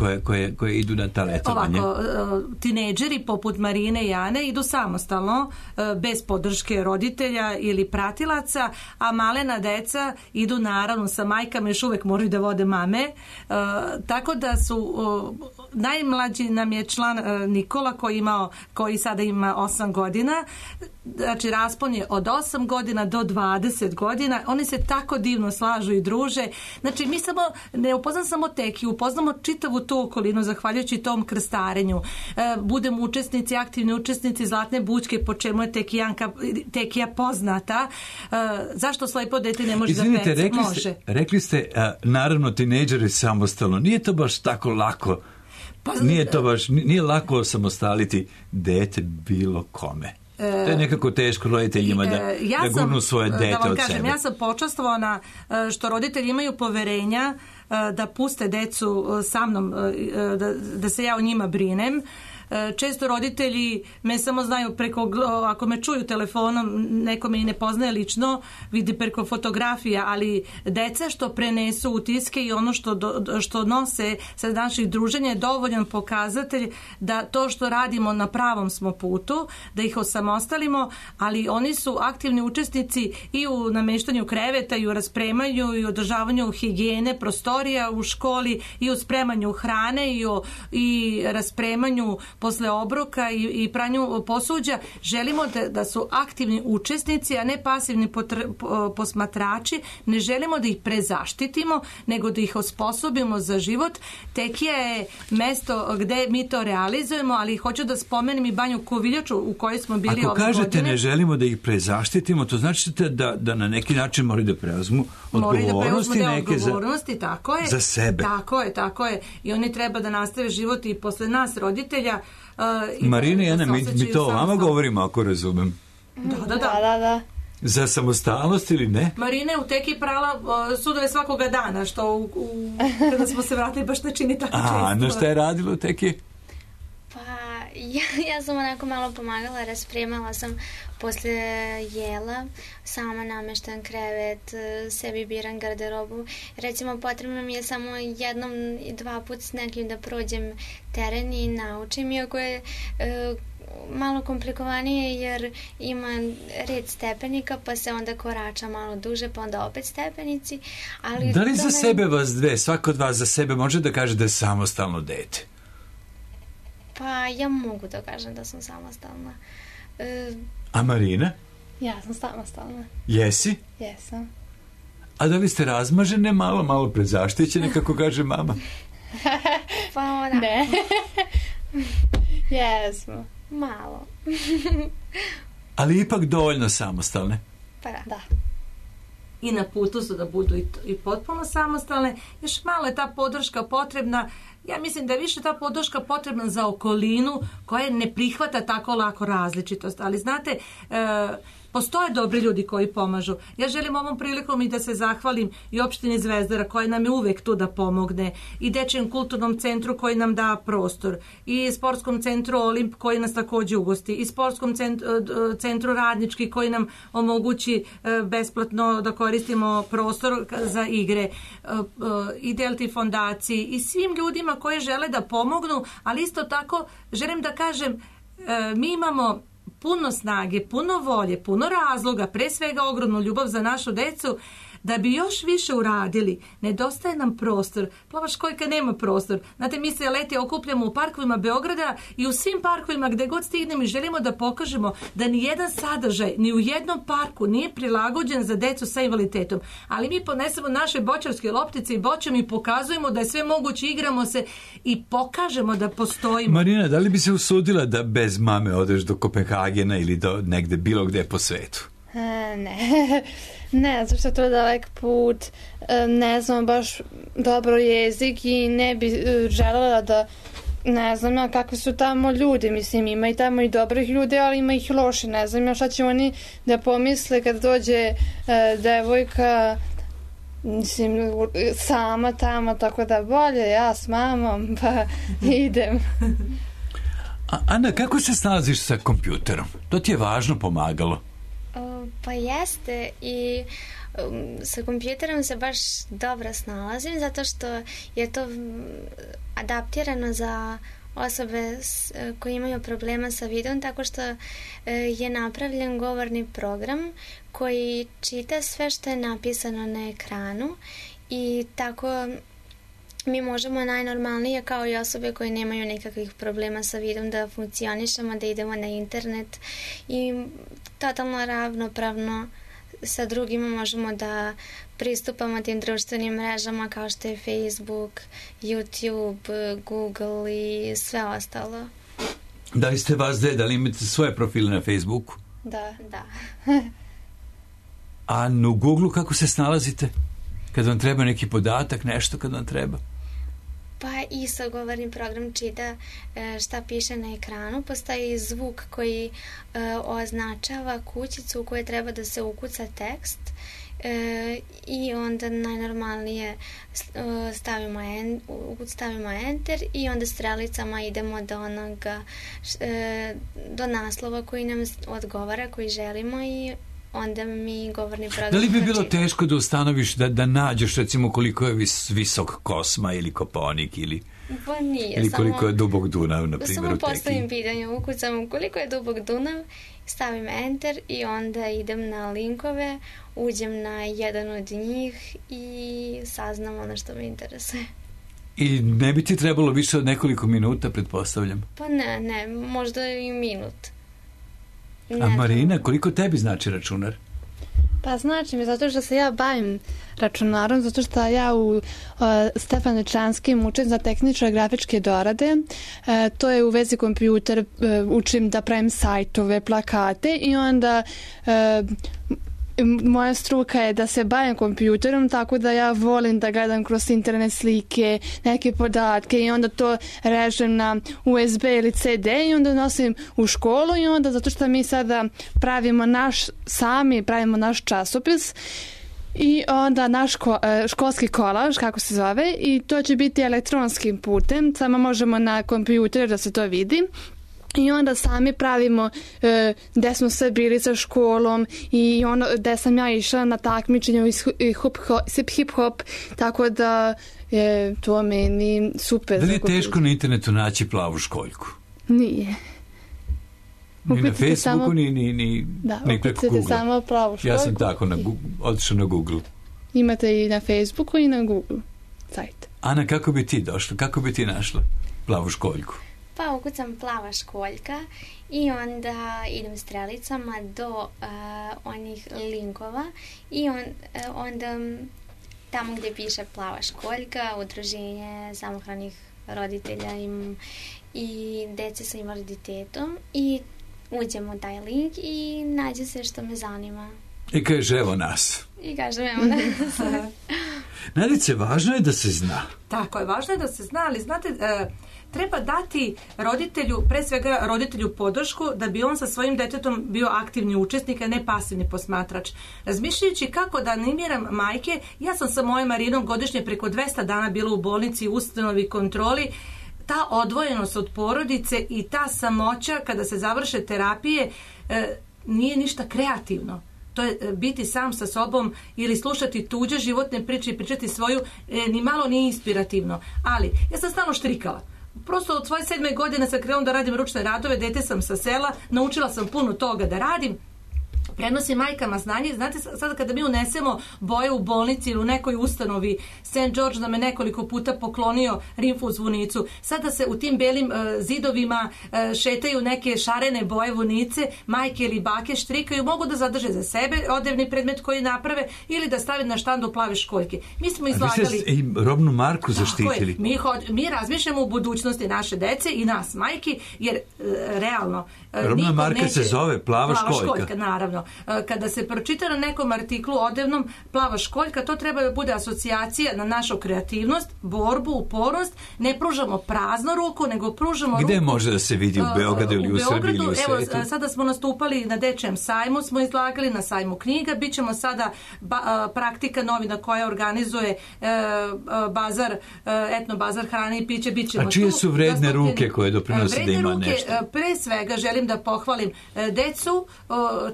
koje idu na ta letovanje? Ovako, tinejdžeri poput Marine i Ane idu samostalno, bez podrške roditelja ili pratilaca, a malena deca idu naravno sa majkama, još uvek moraju da vode mame. Tako da su najmlađi nam je član Nikola koji sada ima 8 godina. Znači raspon je od 8 godina do 20 godina. Oni se tako divno slažu i druže. Znači mi ne upoznam samo Tekiju, upoznamo čitavu tu okolinu zahvaljujući tom krstarenju. Budemo učesnici, aktivni učesnici Zlatne bućke, po čemu je Tekija poznata. Zašto slepo dete ne može da peca? Rekli ste naravno tinejdžeri samostalno. Nije to baš tako lako. Nije lako osamostaliti dete bilo kome. To je nekako teško roditeljima da gurnu svoje dete od sebe. Ja sam počastvovana što roditelji imaju poverenja da puste decu sa mnom, da se ja o njima brinem. Često roditelji me samo znaju ako me čuju telefonom, neko me i ne poznaje lično, vidi preko fotografija, ali deca što prenesu utiske i ono što nose sa naših druženja je dovoljan pokazatelj da to što radimo na pravom smo putu, da ih osamostalimo, ali oni su aktivni učesnici i u nameštanju kreveta i u raspremanju i održavanju higijene prostorija u školi i u spremanju hrane i raspremanju posle obroka i pranju posuđa. Želimo da su aktivni učesnici, a ne pasivni posmatrači. Ne želimo da ih prezaštitimo, nego da ih osposobimo za život. Tekija je mesto gde mi to realizujemo, ali hoću da spomenem i Banju Koviljaču u kojoj smo bili ove godine. Ako kažete ne želimo da ih prezaštitimo, to znači da na neki način moraju da preuzmu odgovornosti tako je, za sebe. Tako je. I oni treba da nastave život i posle nas, roditelja, Marina i Ana, mi to o vama govorimo, ako razumem. Da. Za samostalnost ili ne? Marina je u teki prala sudove svakoga dana, što kada smo se vratili baš ne čini tako često. Ana, šta je radila u teki? Pa, ja sam onako malo pomagala, raspremala sam posle jela, sama nameštam krevet, sebi biram garderobu. Recimo, potrebno mi je samo jednom i 2 puta s nekim da prođem teren i naučim, iako je malo komplikovanije jer ima red stepenika, pa se onda korača malo duže, pa onda opet stepenici. Ali da li za sebe vas dve, svako od vas za sebe može da kaže da je samostalno dete? Pa ja mogu da kažem da sam samostalna. A Marina? Ja sam samostalna. Jesi? Jesam. A da li ste razmažene, malo prezaštićene, kako kaže mama? Pa onako. Ne. Jesmo. Malo. Ali ipak dovoljno samostalne. Pa da. I na putu su da budu i potpuno samostalne. Još malo je ta podrška potrebna. Ja mislim da je više ta podrška potrebna za okolinu koja ne prihvata tako lako različitost. Ali znate, postoje dobri ljudi koji pomažu. Ja želim ovom prilikom i da se zahvalim i opštini Zvezdara koja nam je uvek tu da pomogne, i Dečijem kulturnom centru koji nam da prostor, i sportskom centru Olimp koji nas takođe ugosti, i sportskom centru Radnički koji nam omogući besplatno da koristimo prostor za igre, i Delti fondaciji i svim ljudima koji žele da pomognu, ali isto tako želim da kažem, mi imamo puno snage, puno volje, puno razloga, pre svega ogromnu ljubav za našu decu, da bi još više uradili. Nedostaje nam prostor. Plava školjka nema prostor. Znate, mi se leti okupljamo u parkovima Beograda i u svim parkovima gde god stignemo i želimo da pokažemo da ni jedan sadržaj, ni u jednom parku nije prilagođen za decu sa invaliditetom. Ali mi ponesemo naše bočarske loptice i bočom i pokazujemo da je sve moguće, igramo se i pokažemo da postojimo. Marina, da li bi se usudila da bez mame odeš do Kopenhagena ili do negde bilo gde po svetu? Ne, zato što je to dalek put, ne znam baš dobro jezik i ne bi želela da, ne znam ja kakvi su tamo ljudi, mislim ima i tamo i dobrih ljudi, ali ima ih loši, ne znam ja šta će oni da pomisle kad dođe devojka, mislim, sama tamo, tako da bolje ja s mamom, pa idem. Ana, kako se snalaziš sa kompjuterom? To ti je važno pomagalo. Pa jeste, i sa kompjuterom se baš dobro snalazim zato što je to adaptirano za osobe koje imaju problema sa vidom, tako što je napravljen govorni program koji čita sve što je napisano na ekranu i tako mi možemo najnormalnije kao i osobe koje nemaju nekakvih problema sa vidom da funkcionišemo, da idemo na internet i totalno ravnopravno sa drugima možemo da pristupamo tim društvenim mrežama kao što je Facebook, YouTube, Google i sve ostalo. Da li ste vas dve, da li imate svoje profile na Facebooku? Da. A u Google kako se snalazite? Kad vam treba neki podatak, nešto kad vam treba? Pa isto govorni program čita šta piše na ekranu. Postoji zvuk koji označava kućicu u kojoj treba da se ukuca tekst i onda najnormalnije stavimo enter i onda strelicama idemo do onoga do naslova koji nam odgovara, koji želimo i onda mi govorni program... Da li bi bilo teško da ustanoviš, da nađeš recimo koliko je visok Kosma ili Koponik ili... Pa nije, ili koliko je dubok Dunav, na primjer, samo u teki. postavim pitanje, ukucam koliko je dubok Dunav, stavim enter i onda idem na linkove, uđem na jedan od njih i saznam ono što me interesuje. I ne bi ti trebalo više od nekoliko minuta, pretpostavljam? Pa ne, možda i minut. A Marina, koliko tebi znači računar? Pa znači mi zato što se ja bavim računarom, zato što ja u Stefaničanskim učim za tehničke grafičke dorade. To je u vezi kompjuter, učim da pravim sajtove, plakate i onda moja struka je da se bavim kompjuterom, tako da ja volim da gledam kroz internet slike, neke podatke i onda to režem na USB ili CD i onda nosim u školu i onda zato što mi sada pravimo naš časopis i onda naš školski kolaž, kako se zove, i to će biti elektronskim putem, samo možemo na kompjuter da se to vidi. I onda sami pravimo gde smo sve bili sa školom i ono gde sam ja išla na takmičenje hip-hop, tako da je to meni super. Da li je teško na internetu naći Plavu školjku? Nije. Ni na Facebooku, ni preko Google. Samo Plavu školjku. Ja sam tako otišao na Google. Imate i na Facebooku i na Google sajt. Ana, kako bi ti došla? Kako bi ti našla Plavu školjku? Pa ukucam Plava školjka i onda idem strelicama do onih linkova i onda tamo gdje piše Plava školjka, udruženje samohranih roditelja i dece sa invaliditetom i uđem u taj link i nađe se što me zanima. I kaže evo nas. I kažem evo nas. Nadice, važno je da se zna. Tako je, važno je da se zna, ali znate, treba dati roditelju, pre svega roditelju podršku da bi on sa svojim detetom bio aktivni učesnik, a ne pasivni posmatrač. Razmišljajući kako da animiram majke, ja sam sa mojom Marinom godišnje preko 200 dana bila u bolnici, ustanovi, kontroli. Ta odvojenost od porodice i ta samoća kada se završe terapije nije ništa kreativno. To je biti sam sa sobom ili slušati tuđe životne priče i pričati svoju, ni malo nije inspirativno. Ali, ja sam stalno štrikala. Prosto od svoje 7. godine sam krenula da radim ručne radove, dete sam sa sela, naučila sam puno toga da radim. Prenosim majkama znanje. Znate, sada kada mi unesemo boje u bolnici ili u nekoj ustanovi, St. George nam je nekoliko puta poklonio rimfu zvonicu. Sada se u tim belim zidovima šetaju neke šarene boje vunice, majke ili bake štrikaju, mogu da zadrže za sebe odevni predmet koji naprave ili da stave na štandu Plave školjke. Mi smo izlagali... A vi ste i robnu marku zaštitili. Mi razmišljamo u budućnosti naše dece i nas, majki, jer realno... Robna marka se zove Plava školjka. Naravno. Kada se pročita na nekom artiklu odevnom Plava školjka, to treba da bude asocijacija na našu kreativnost, borbu, upornost. Ne pružamo praznu ruku, nego pružamo ruku... Gde može da se vidi u Beogradu ili u Srbiji ili u svetu? Evo, sada smo nastupali na Dečijem sajmu, smo izlagali na sajmu knjiga, bit ćemo sada praktika novina koja organizuje bazar, etno bazar hrane i piće, bit ćemo tu. A čije su vredne ruke koje doprinose da ima nešto? Pre svega želim da pohvalim decu,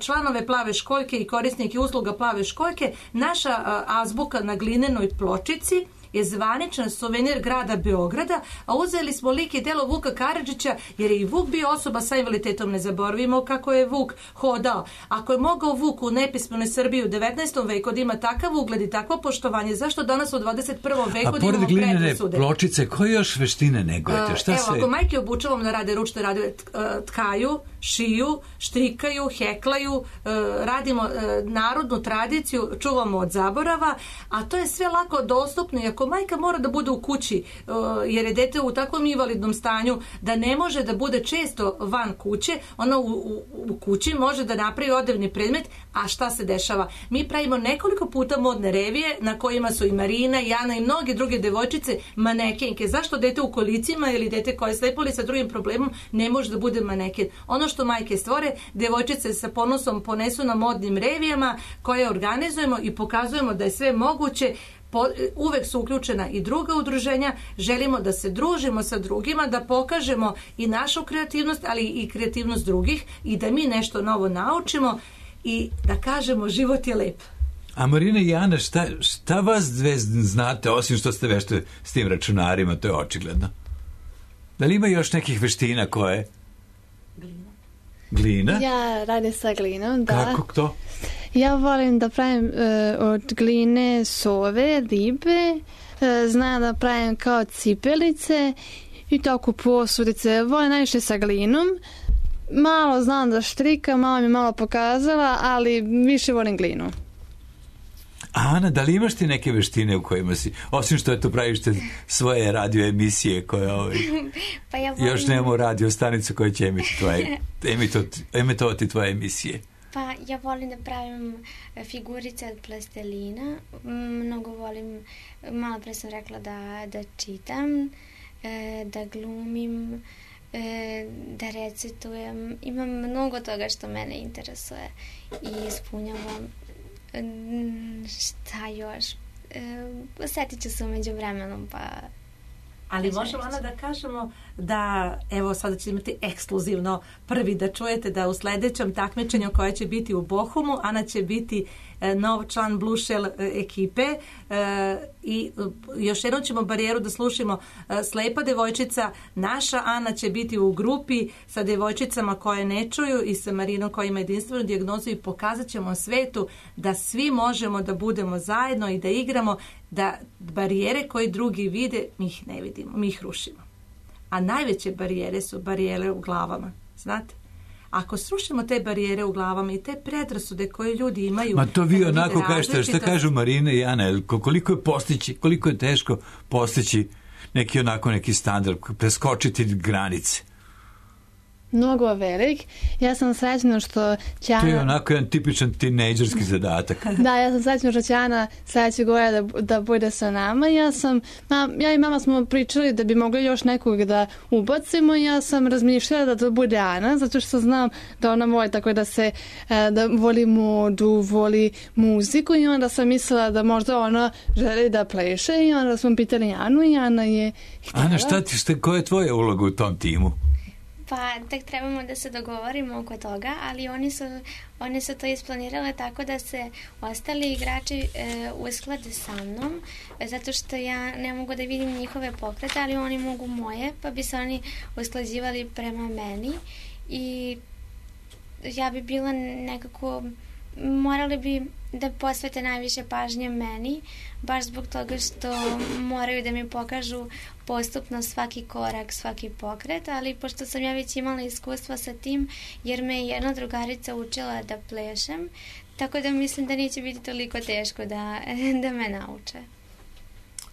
članove Plave školjke i korisnike usluga Plave školjke. Naša azbuka na glinenoj pločici je zvaničan suvenir grada Beograda, a uzeli smo lik i delo Vuka Karadžića, jer je i Vuk bio osoba sa invaliditetom. Ne zaboravimo kako je Vuk hodao. Ako je mogao Vuk u nepismenoj Srbiji u 19. veku da ima takav ugled i takvo poštovanje, zašto danas u 21. veku da imamo predrasude? A pored glinene pločice, koje još veštine negujete? Ako majke obučavam da rade ručne radove, tkaju, šiju, štrikaju, heklaju, radimo narodnu tradiciju, čuvamo od zaborava, a to je sve lako dostupno. I ako majka mora da bude u kući, jer je dete u takvom invalidnom stanju da ne može da bude često van kuće, ona u kući može da napravi odevni predmet. A šta se dešava? Mi pravimo nekoliko puta modne revije na kojima su i Marina, i Ana i mnoge druge devojčice manekenke. Zašto dete u kolicima ili dete koje je slepo ili sa drugim problemom ne može da bude maneken? Ono što majke stvore, devojčice sa ponosom ponesu na modnim revijama koje organizujemo i pokazujemo da je sve moguće. Uvek su uključena i druga udruženja, želimo da se družimo sa drugima, da pokažemo i našu kreativnost, ali i kreativnost drugih i da mi nešto novo naučimo i da kažemo život je lep. A Marina i Ana, šta vas dve znate, osim što ste vešte s tim računarima, to je očigledno? Da li ima još nekih veština koje? Glina? Ja radim sa glinom, da. Kako to? Ja volim da pravim od gline sove, ribe, znam da pravim kao cipelice i tako posudice. Volim najviše sa glinom. Malo znam da štrikam, mama mi malo pokazala, ali više volim glinu. Ana, da li imaš ti neke veštine u kojima si, osim što eto praviš te svoje radio emisije koje pa ja volim... još nemamo radio stanicu koja će emitovati tvoje emisije? Pa ja volim da pravim figurice od plastelina, mnogo volim, malo pre sam rekla da čitam, da glumim, da recitujem. Imam mnogo toga što mene interesuje i ispunjavam. Šta još? Osjetit ću se umeđu vremenom, pa... Ali možemo onda da kažemo da, evo sada ćete imati ekskluzivno prvi da čujete da u sledećem takmičenju koje će biti u Bochumu, Ana će biti nov član Blušel ekipe i još jednom ćemo barijeru da slušimo. Slepa devojčica, naša Ana će biti u grupi sa devojčicama koje ne čuju i sa Marinom koja ima jedinstvenu dijagnozu i pokazat ćemo svetu da svi možemo da budemo zajedno i da igramo, da barijere koje drugi vide, mi ih ne vidimo, mi ih rušimo. A najveće barijere su barijere u glavama, znate? Ako srušimo te barijere u glavama i te predrasude koje ljudi imaju... Ma to vi onako kažete, šta kažu Marina i Ana, koliko je teško postići neki standard, preskočiti granice? Mnogo velik. Ja sam srećna što će Ana... To je onako jedan tipičan tinejdžerski zadatak. Da, ja sam srećna što će Ana sledeće godine da bude sa nama. Ja i mama smo pričali da bi mogli još nekog da ubacimo. Ja sam razmišljala da to bude Ana, zato što znam da ona voli tako da voli modu, voli muziku i onda sam mislila da možda ona želi da pleše i onda smo pitali Anu i Ana je htjela. Ana, koja je tvoja uloga u tom timu? Pa tek trebamo da se dogovorimo oko toga, ali one su to isplanirale tako da se ostali igrači usklade sa mnom, zato što ja ne mogu da vidim njihove pokrete, ali oni mogu moje, pa bi se oni usklađivali prema meni i ja bi bila nekako, morali bi da posvete najviše pažnje meni, baš zbog toga što moraju da mi pokažu postupno svaki korak, svaki pokret, ali pošto sam ja već imala iskustva sa tim, jer me je jedna drugarica učila da plešem, tako da mislim da neće biti toliko teško da me nauče.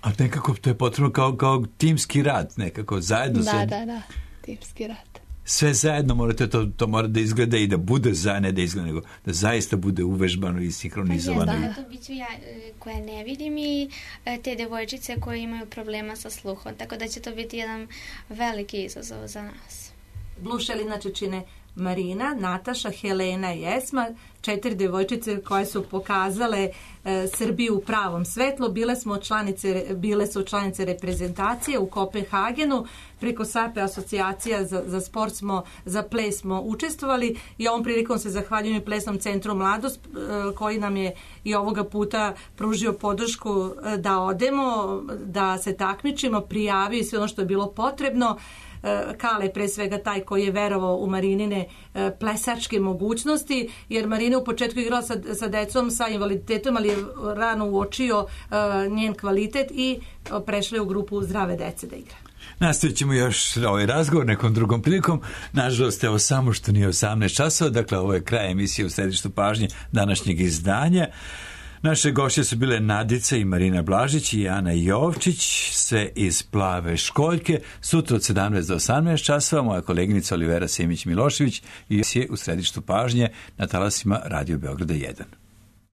A nekako to je potrebno kao timski rad, nekako zajedno. Da, timski rad. Sve zajedno morate, to mora da izgleda i da bude ne da izgleda, nego da zaista bude uvežbano i sinhronizovano. To bit ću ja koja ne vidim i te devojčice koje imaju problema sa sluhom, tako da će to biti jedan veliki izazov za nas. Blušel inače čine Marina, Nataša, Helena i Esma, 4 devojčice koje su pokazale Srbiju u pravom svetlu. Bile su članice reprezentacije u Kopenhagenu. Preko SAPE asocijacija za ples smo učestvovali i ovom prilikom se zahvaljujem i Plesnom centru Mladost koji nam je i ovoga puta pružio podršku da odemo, da se takmičimo, prijavio i sve ono što je bilo potrebno. Kale pre svega taj koji je verovao u Marinine plesačke mogućnosti, jer Marina u početku igrala sa decom sa invaliditetom, ali je rano uočio njen kvalitet i prešla je u grupu zdrave dece da igra. Nastavit ćemo još ovaj razgovor nekom drugom prilikom. Nažalost, evo samo što nije 18 časova, dakle ovo je kraj emisije u središtu pažnje današnjeg izdanja. Naše gošće su bile Nadica i Marina Blažić i Ana Jovčić, sve iz Plave školjke. Sutra od 17 do 18 časova moja koleginica Olivera Simić-Milošević i je u središtu pažnje na talasima Radio Beograda 1.